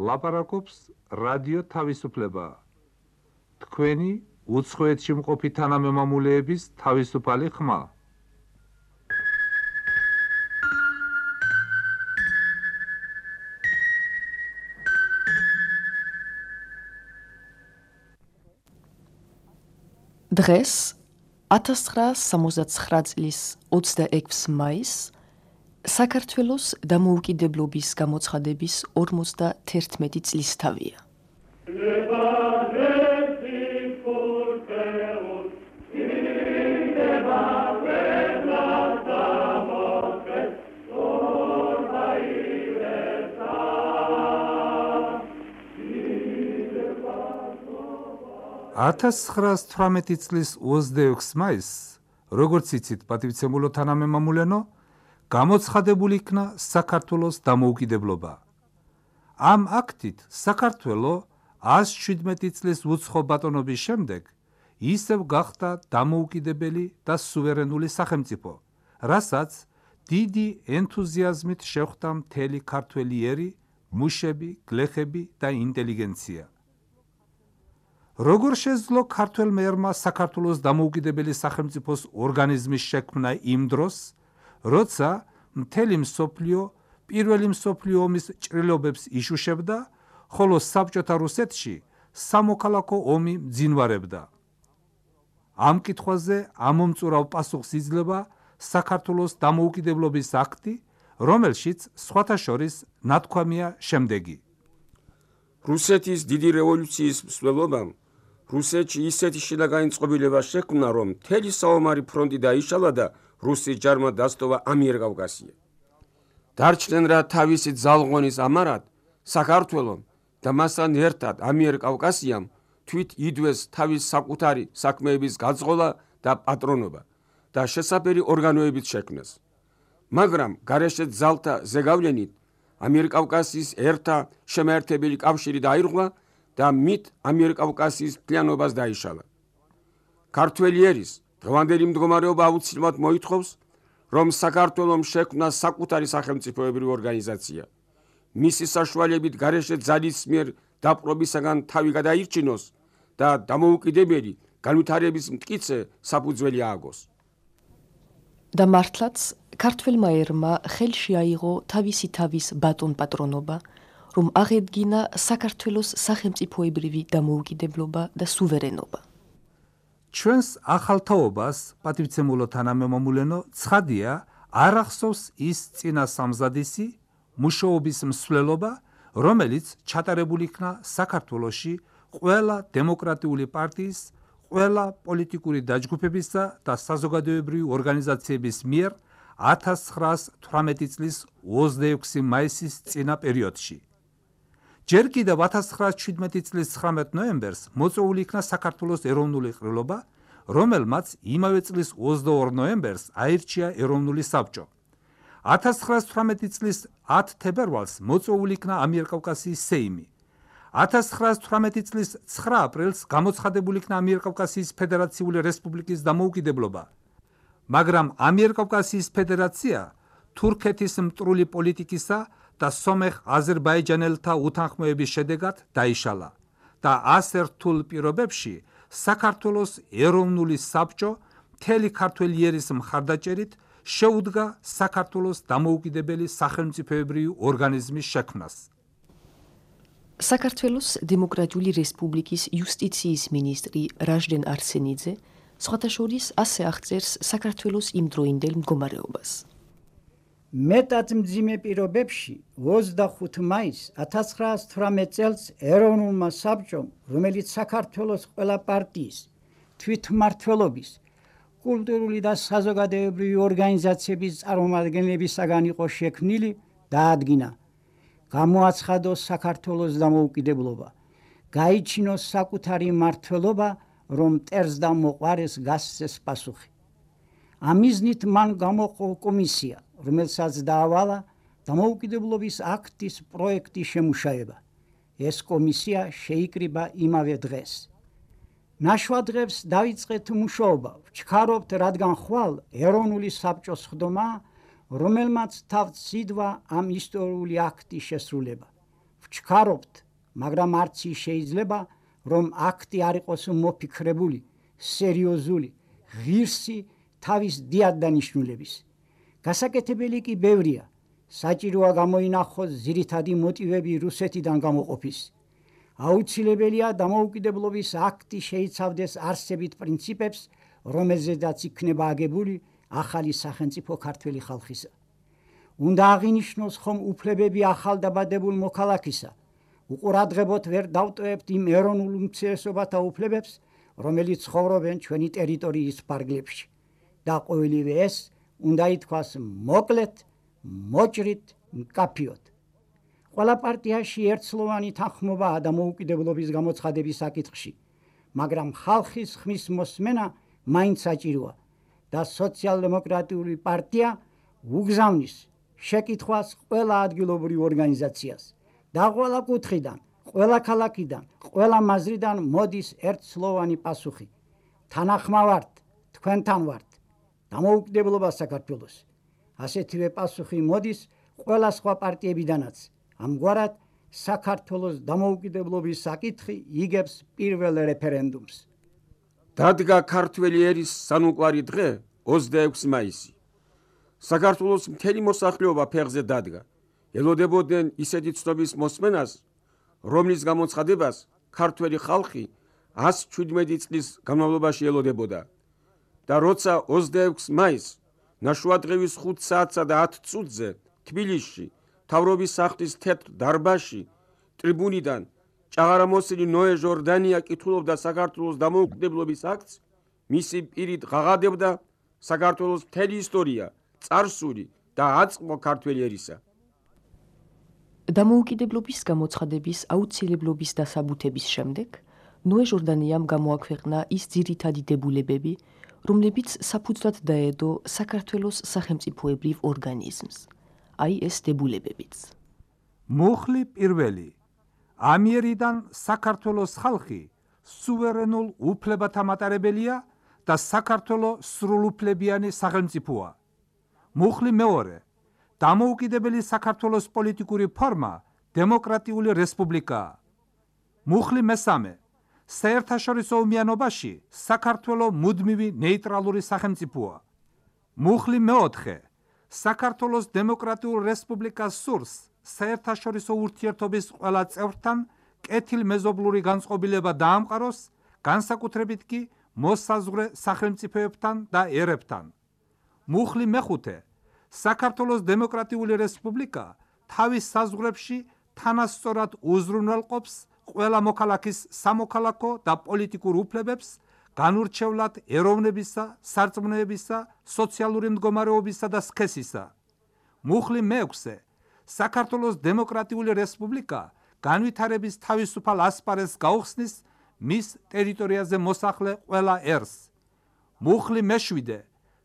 ლაპარაკობს რადიო თავისუფლება. თქვენი უცხოეთში მყოფი თანამემამულეების თავისუფალი ხმა. დღეს 1969 წლის 26 მაისს საქართველოს დამოუკიდებლობის გამოცხადების 51 წლისთავია. $1918 წლის 26 მაისს, როგორც იცით, პატივცემულო თანამემამულენო, გამოცხადებული იქნა საქართველოს დამოუკიდებლობა. ამ აქტით საქართველო 117 წლის უცხო ბატონობის შემდეგ ისევ გახდა დამოუკიდებელი და სუვერენული სახელმწიფო, რასაც დიდი ენთუზიაზმით შეხვდა მთელი ქართველი ერი, მუშები, გლეხები და ინტელიგენცია. როგორ შეძლო ქართველმა ერმა საქართველოს დამოუკიდებელი სახელმწიფოს ორგანიზმის შექმნა იმ დროს, როცა მთელი მსოფლიო პირველი მსოფლიო ომის ჭრილობებს იშუშებდა, ხოლო საბჭოთა რუსეთში სამოქალაქო ომი მძინვარებდა. ამ კითხვაზე ამომწურავ პასუხს იძლევა საქართველოს დამოუკიდებლობის აქტი, რომელშიც სხვათა შორის ნათქვამია შემდეგი. რუსეთის დიდი რევოლუციის მსვლელობამ რუსეთში ისეთი შინაგანწყობილება შექმნა, რომ მთელი საომარი ფრონტი დაიშალა და რუსის ჯარმა დასტოვა ამიერკავკასია. დარჩნენ რა თავისი ძალღონის ამარად საქართველომ და მასთან ერთად ამიერკავკასიამ თვით იდვეს თავის საკუთარი საქმეების გაძღოლა და პატრონობა და შესაბერი ორგანოებით შექმნეს. მაგრამ გარეშე ძალთა ზეგავლენით ამიერკავკასიის ერთა შემაერთებელი კავშირი დაირღვა და მით ამიერკავკასიის მთლიანობას დაიშალა. ქართველი ერის დღევანდელი მდგომარეობა აუცილებლად მოითხოვს, რომ საქართველომ შექმნა საკუთარი სახელმწიფოებრივი ორგანიზაცია. მისი საშუალებით გარეშე ძალის მიერ დაპყრობისაგან თავი გადაირჩინოს და დამოუკიდებელი განვითარების მტკიცე საფუძველი ააგოს. და მართლაც ქართველმა ერმა ხელში აიღო თავისი თავის ბატონ პატრონობა, რომ აღედგინა საქართველოს სახელმწიფოებრივი დამოუკიდებლობა და სუვერენობა. ჩვენს ახალ თაობას, პატივცემულო თანამემამულენო, ცხადია, არ ახსოვს ის წინა სამზადისი მუშაობის მსვლელობა, რომელიც ჩატარებული იქნა საქართველოში ყველა დემოკრატიული პარტიის, ყველა პოლიტიკური დაჯგუფებისა და საზოგადოებრივი ორგანიზაციების მიერ 1918 წლის 26 მაისის წინა პერიოდში. ჯერ კიდევ 1917 წლის 19 ნოემბერს მოწვეული იქნა საქართველოს ეროვნული ყრილობა, რომელმაც იმავე წლის 22 ნოემბერს აირჩია ეროვნული საბჭო. 1918 წლის 10 თებერვალს მოწვეული იქნა ამიერკავკასიის სეიმი. 1918 წლის 9 აპრილს გამოცხადებული იქნა ამიერკავკასიის ფედერაციული რესპუბლიკის დამოუკიდებლობა, მაგრამ ამიერკავკასიის ფედერაცია თურქეთის მტრული პოლიტიკისა და სომეხ აზერბაიჯანელთა უთანხმოების შედეგად დაიშალა და ასე რთულ პირობებში საქართველოს ეროვნული საბჭო მთელი ქართველი ერის მხარდაჭერით შეუდგა საქართველოს დამოუკიდებელი სახელმწიფოებრივი ორგანიზმის შექმნას. საქართველოს დემოკრატიული რესპუბლიკის იუსტიციის მინისტრი რაჟდენ არსენიძე სხვათა შორის ასე აღწერს საქართველოს იმდროინდელ მდგომარეობას. მეტად მძიმე პირობებში 25 მაისს 1918 წელს ეროვნულმა საბჭომ, რომელიც საქართველოს ყველა პარტიის, თვითმმართველობის, კულტურული და საზოგადოებრივი ორგანიზაციების წარმომადგენლებისაგან იყო შექმნილი, დაადგინა, გამოაცხადოს საქართველოს დამოუკიდებლობა, გაიჩინოს საკუთარი მმართველობა, რომ მტერს და მოყვარეს გასცეს პასუხი. ამიზნით მან გამოყო კომისია, რომელსაც დაავალა დამოუკიდებლობის აქტის პროექტის შემუშავება. ეს კომისია შეიკრიბა იმავე დღეს. ნაშვადღებს დაიწყეთ მუშაობა, ვჩქარობთ, რადგან ხვალ ეროვნული საბჭოს ხდომა, რომელმაც თავს სიდვა ამ ისტორიული აქტის შესრულება. ვჩქარობთ, მაგრამ არც ის შეიძლება, რომ აქტი არ იყოს მოფიქრებული, სერიოზული, ღირსი თავის დიად დანიშნულების. გასაკეთებელი კი ბევრია. საჭიროა გამოინახოს ძირითადი მოტივები რუსეთიდან გამოყოფის. აუცილებელია დამოუკიდებლობის აქტი შეიცავდეს არსებით პრინციპებს, რომელზედაც იქნება აგებული ახალი სახელმწიფო ქართველი ხალხისა. უნდა აღინიშნოს ხომ უფლებები ახალდაბადებულ მოქალაქისა. უყურადღებოდ ვერ დავტოვებთ იმ ეროვნულ უმცირესობათა უფლებებს, რომელიც ცხოვრობენ ჩვენი ტერიტორიის ფარგლებში. და ყოველივე ეს უნდა ითქვას მოკლედ, მოჭრით, მკაფიოდ. ყველა პარტიაში ერთსლოვანი თანხმობაა დამოუკიდებლობის გამოცხადების საკითხში, მაგრამ ხალხის ხმის მოსმენა მაინც საჭიროა და სოციალ-დემოკრატიული პარტია უგზავნის შეკითხვას ყველა ადგილობრივ ორგანიზაციას და ყველა კუთხიდან, ყველა ქალაქიდან, ყველა მაზრიდან მოდის ერთსლოვანი პასუხი. თანახმა ვართ, თქვენთან ვართ, დამოუკიდებლობა საქართველოს. ასეთივე პასუხი მოდის ყველა სხვა პარტიებიდანაც. ამგვარად საქართველოს დამოუკიდებლობის საკითხი იგებს პირველ რეფერენდუმს. დადგა ქართველი ერის სანუკვარი დღე 26 მაისი. საქართველოს მთელი მოსახლეობა ფეხზე დადგა. ელოდებოდნენ ისეთი ცნობის მოსმენას, რომლის გამოცხადებას ქართველი ხალხი 117 წლის განმავლობაში ელოდებოდა. და როცა 26 მაისს ნაშუადღევის 5 საათსა და 10 წუთზე თბილისში მთავრობის სახლის თეთრ დარბაზში ტრიბუნიდან ჭაღარამოსილი ნოე ჟორდანია კითხულობდა საქართველოს დამოუკიდებლობის აქტს, მისი პირით ღაღადებდა საქართველოს მთელი ისტორია, წარსული და აწმყო ქართველი ერისა. დამოუკიდებლობის გამოცხადების აუცილებლობის დასაბუთების შემდეგ ნოე ჟორდანიამ გამოაქვეყნა ის ძირითადი დებულებები, რომლებიც საფუძვლად დაედო საქართველოს სახელმწიფოებრივ ორგანიზმს. აი ეს დებულებებიც. მუხლი პირველი. ამიერიდან საქართველოს ხალხი სუვერენულ უფლებათა მატარებელია და საქართველოს სრულუფლებიანი სახელმწიფოა. მუხლი მეორე. დამოუკიდებელი საქართველოს პოლიტიკური ფორმა დემოკრატიული რესპუბლიკაა. მუხლი მესამე. საერთაშორისო ომიანობაში საქართველოს მუდმივი ნეიტრალური სახელმწიფოა. მუხლი მეოთხე. საქართველოს დემოკრატიულ რესპუბლიკას სურს საერთაშორისო ურთიერთობის ყველა წევრთან კეთილმეზობლური განწყობილება დაამყაროს, განსაკუთრებით კი მოსაზღვრე სახელმწიფოებთან და ერებთან. მუხლი მეხუთე. საქართველოს დემოკრატიული რესპუბლიკა თავის საზღვრებში თანასწორად უზრუნველყოფს ყველა მოქალაქის სამოქალაქო და პოლიტიკურ უფლებებს, განურჩევლად ეროვნებისა, სარწმუნოებისა, სოციალური მდგომარეობისა და სქესისა. მუხლი მეექვსე. საქართველოს დემოკრატიული რესპუბლიკა განვითარების თავისუფალ ასპარეზს გაუხსნის მის ტერიტორიაზე მოსახლე ყველა ერს. მუხლი მეშვიდე.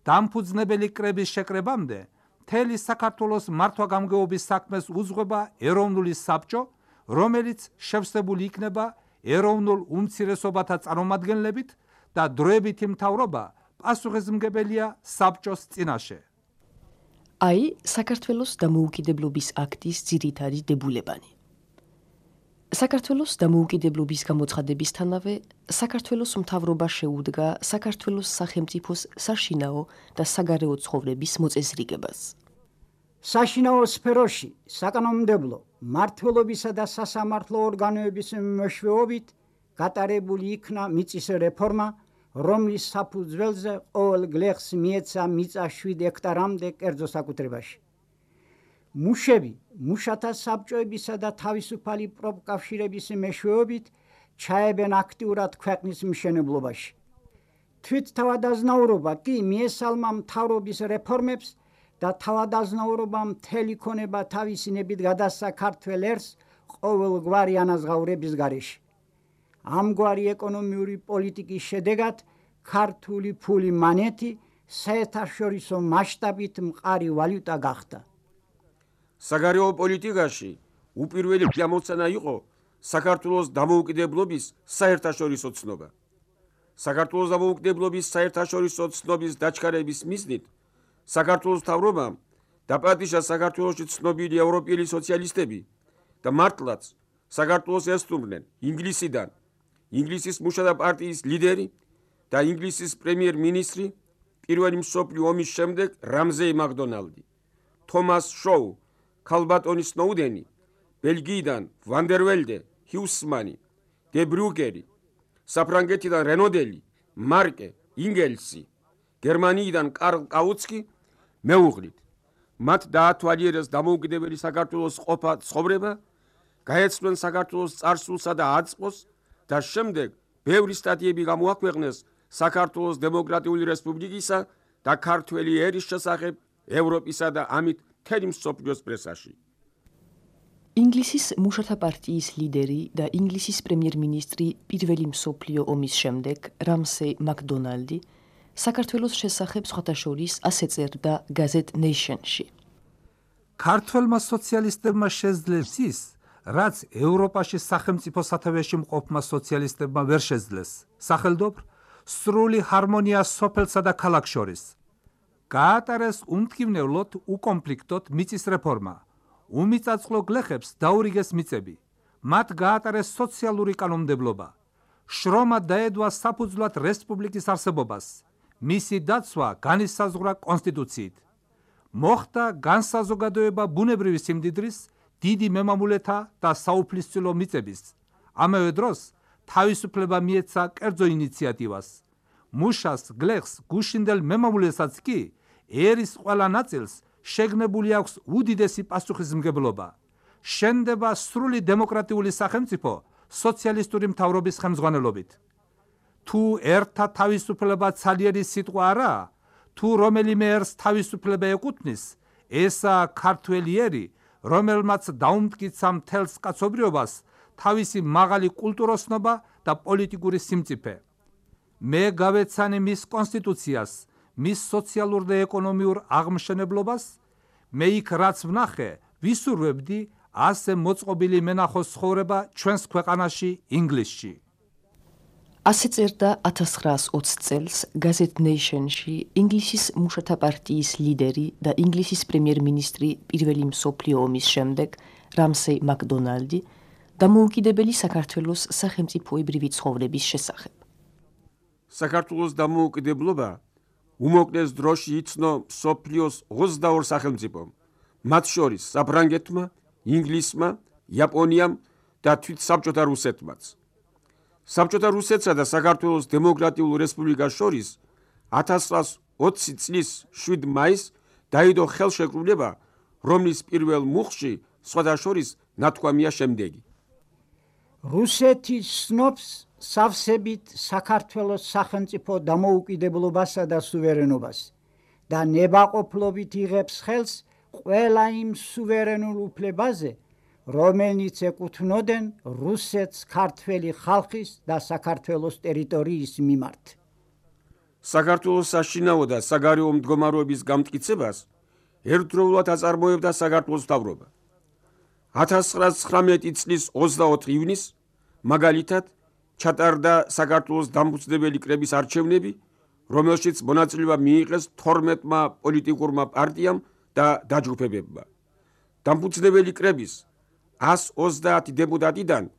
დამფუძნებელი კრების შეკრებამდე მთელი საქართველოს მართვა-გამგეობის საქმეს უძღვება ეროვნული საბჭო, რომელიც შევსებული იქნება ეროვნულ უმცირესობათა წარმომადგენლებით და დროებითი მთავრობა პასუხისმგებელია საბჭოს წინაშე. აი საქართველოს დამოუკიდებლობის აქტის ძირითადი დებულებანი. საქართველოს დამოუკიდებლობის გამოცხადებისთანავე საქართველოს მთავრობა შეუდგა საქართველოს სახელმწიფოს საშინაო და საგარეო ცხოვრების მოწესრიგებას. საშინაო სფეროში საკანონმდებლო, მმართველობისა და სასამართლო ორგანოების მეშვეობით გატარებული იქნა მიწის რეფორმა, რომლის საფუძველზე ყოველ გლეხს მიეცა მიწა 7 ჰექტარამდე კერძო საკუთრებაში. მუშები მუშათა საბჭოებისა და თავისუფალი პროფკავშირების მეშვეობით ჩაებენ აქტიურად ქვეყნის მშენებლობაში. თვითთავადაზნაურობა კი მიესალმა მთავრობის რეფორმებს და თავადაზნაურობა მთელი ქონება თავისინებით გადასცა ქართველ ერს ყოველგვარი ანაზღაურების გარეშე. ამგვარი ეკონომიური პოლიტიკის შედეგად ქართული ფული მანეთი საერთაშორისო მასშტაბით მყარი ვალუტა გახდა. საგარეო პოლიტიკაში უპირველი გამოცანა იყო საქართველოს დამოუკიდებლობის საერთაშორისო ცნობა. საქართველოს დამოუკიდებლობის საერთაშორისო ცნობის დაჩქარების მიზნით საქართველოს მთავრობამ დაპატიჟა საქართველოში ცნობილი ევროპელი სოციალისტები და მართლაც საქართველოს ესტუმრნენ ინგლისიდან ინგლისის მუშათა პარტიის ლიდერი და ინგლისის პრემიერ-მინისტრი პირველი მსოფლიო ომის შემდეგ რამზეი მაკდონალდი, თომას შოუ, ქალბატონი სნოუდენი, ბელგიიდან ვანდერველდე, ჰიუსმანი, დე ბრუგერი, საფრანგეთიდან რენოდელი, მარკე, ინგელსი, გერმანიიდან კარლ კაუცკი მეუღლით. მათ დაათვალიერეს დამოუკიდებელი საქართველოს ყოფა ცხოვრება, გაეცნნენ საქართველოს წარსულსა და აწყოს და შემდეგ ბევრი სტატიები გამოაქვეყნეს საქართველოს დემოკრატიული რესპუბლიკისა და ქართველი ერის შესახებ ევროპისა და ამით მთელი მსოფლიოს პრესაში. ინგლისის მუშათა პარტიის ლიდერი და ინგლისის პრემიერ-მინისტრი პირველი მსოფლიო ომის შემდეგ რამსეი მაკდონალდი საქართველოს შესახებ სხვათა შორის ასე წერდა გაზეთ ნეიშენში. ქართველმა სოციალისტებმა შეძლეს ის, რაც ევროპაში სახელმწიფო სათავეში მყოფმა სოციალისტებმა ვერ შეძლეს, სახელდობრ სრული ჰარმონია სოფელსა და ქალაქს შორის. გაატარეს უმტკივნევლოდ უკონფლიქტოდ მიწის რეფორმა, უმიწაწყლო გლეხებს დაურიგეს მიწები, მათ გაატარეს სოციალური კანონმდებლობა, შრომა დაედვა საფუძვლად რესპუბლიკის არსებობას, მისი დაცვა განისაზღვრა კონსტიტუციით. მოხდა განსაზოგადოება ბუნებრივი სიმდიდრის, დიდი მემამულეთა და საუფლისწილო მიწების. ამავე დროს თავისუფლება მიეცა კერძო ინიციატივას. მუშას, გლეხს, გუშინდელ მემამულესაც კი ერის ყველა ნაწილს შეგნებული აქვს უდიდესი პასუხისმგებლობა. შენდება სრული დემოკრატიული სახელმწიფო სოციალისტური მთავრობის ხელმძღვანელობით. თუ ერთა თავისუფლება ძლიერი სიტყვა არაა, თუ რომელიმე ერს თავისუფლება ეკუთვნის, ესაა ქართველი ერი, რომელმაც დაუმტკიცა მთელს კაცობრიობას თავისი მაღალი კულტუროსნობა და პოლიტიკური სიმწიფე. მე გავეცანი მის კონსტიტუციას, მის სოციალურ და ეკონომიურ აღმშენებლობას, მე იქ რაც ვნახე, ვისურვებდი ასე მოწყობილი მენახოს ცხოვრება ჩვენს ქვეყანაში ინგლისში. ასე წერდა 1920 წელს გაზეთ ნეიშენში ინგლისის მუშათა პარტიის ლიდერი და ინგლისის პრემიერ-მინისტრი პირველი მსოფლიო ომის შემდეგ რამსეი მაკდონალდი დამოუკიდებელი საქართველოს სახელმწიფოებრივი ცხოვრების შესახებ. საქართველოს დამოუკიდებლობა უმოკლეს დროში იცნო მსოფლიოს 22 სახელმწიფომ, მათ შორის საფრანგეთმა, ინგლისმა, იაპონიამ და თვით საბჭოთა რუსეთმაც. საბჭოთა რუსეთსა და საქართველოს დემოკრატიულ რესპუბლიკას შორის 1920 წლის 7 მაისს დაიდო ხელშეკრულება, რომლის პირველ მუხლში სხვათა შორის ნათქვამია შემდეგი. რუსეთი ცნობს სავსებით საქართველოს სახელმწიფო დამოუკიდებლობასა და სუვერენობას და ნებაყოფლობით იღებს ხელს ყველა იმ სუვერენულ უფლებაზე, რომელნიც ეკუთვნოდენ რუსეთს ქართველი ხალხის და საქართველოს ტერიტორიის მიმართ. საქართველოს საშინაო და საგარეო მდგომარეობის გამტკიცებას ერთდროულად აწარმოებდა საქართველოს მთავრობა. 1919 წლის 24 ივნისს მაგალითად ჩატარდა საქართველოს დამფუძნებელი კრების არჩევნები, რომელშიც მონაწილეობა მიიღეს 12-მა პოლიტიკურმა პარტიამ და დაჯგუფებებმა. დამფუძნებელი კრების 130 დეპუტატიდან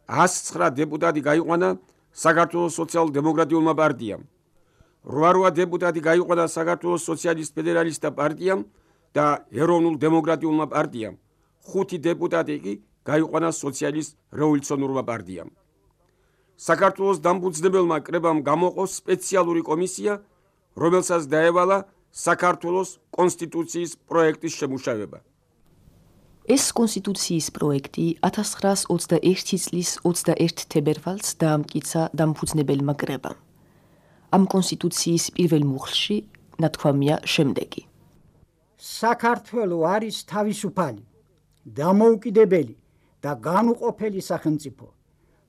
109 დეპუტატი გაიყვანა საქართველოს სოციალ-დემოკრატიულმა პარტიამ, 8 დეპუტატი გაიყვანა საქართველოს სოციალისტ-ფედერალისტთა პარტიამ და ეროვნულ დემოკრატიულმა პარტიამ, 5 დეპუტატი კი გაიყვანა სოციალისტ-რევოლუციონურმა პარტიამ. საქართველოს დამფუძნებელმა კრებამ გამოყო სპეციალური კომისია, რომელსაც დაევალა საქართველოს კონსტიტუციის პროექტის შემუშავება. ეს კონსტიტუციის პროექტი 1921 წლის 21 თებერვალს დაამტკიცა დამფუძნებელმა კრებამ. ამ კონსტიტუციის პირველ მუხლში ნათქვამია შემდეგი. საქართველო არის თავისუფალი, დამოუკიდებელი და განუყოფელი სახელმწიფო.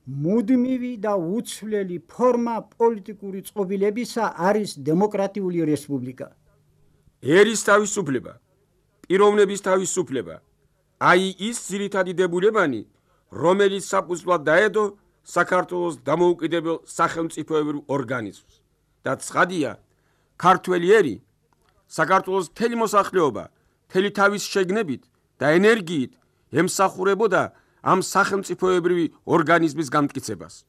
მუდმივი და უცვლელი ფორმა პოლიტიკური წყობილებისა არის დემოკრატიული რესპუბლიკა. ერის თავისუფლება, პიროვნების თავისუფლება, აი ის ძირითადი დებულებანი, რომელიც საფუძვლად დაედო საქართველოს დამოუკიდებელ სახელმწიფოებრივ ორგანიზმს. და ცხადია, ქართველი ერი, საქართველოს მთელი მოსახლეობა, მთელი თავის შეგნებით და ენერგიით ემსახურებოდა ამ სახელმწიფოებრივი ორგანიზმის განმტკიცებას.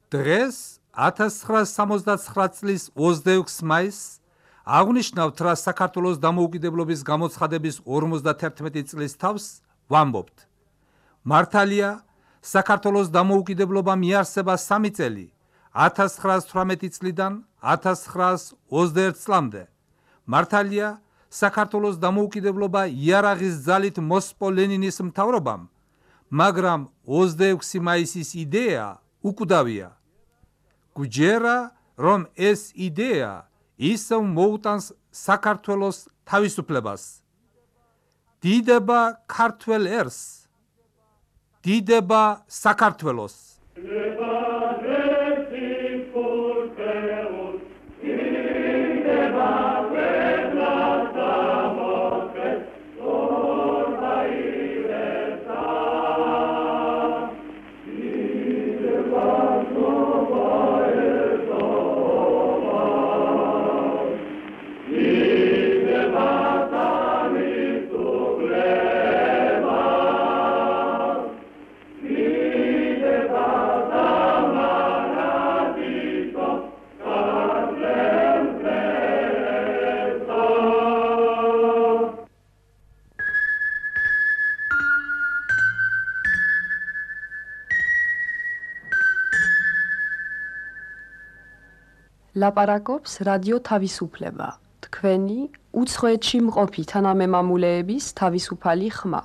დღეს 1969 წლის 26 მაისს აღნიშნავთ, რა საქართველოს დამოუკიდებლობის გამოცხადების 51 წლის თავს ვამბობთ. მართალია, საქართველოს დამოუკიდებლობა მიარსება 3 წელი, 1918 წლიდან 1921 წლამდე. მართალია, საქართველოს დამოუკიდებლობა იარაღის ძალით მოსპო ლენინის მთავრობამ, მაგრამ 26 მაისის იდეა უკვდავია. გვჯერა, რომ ეს იდეა ისევ მოუტანს საქართველოს თავისუფლებას. დიდება ქართველ ერს, დიდება საქართველოს. ლაპარაკობს რადიო თავისუფლება, თქვენი უცხოეთში მყოფი თანამემამულეების თავისუფალი ხმა.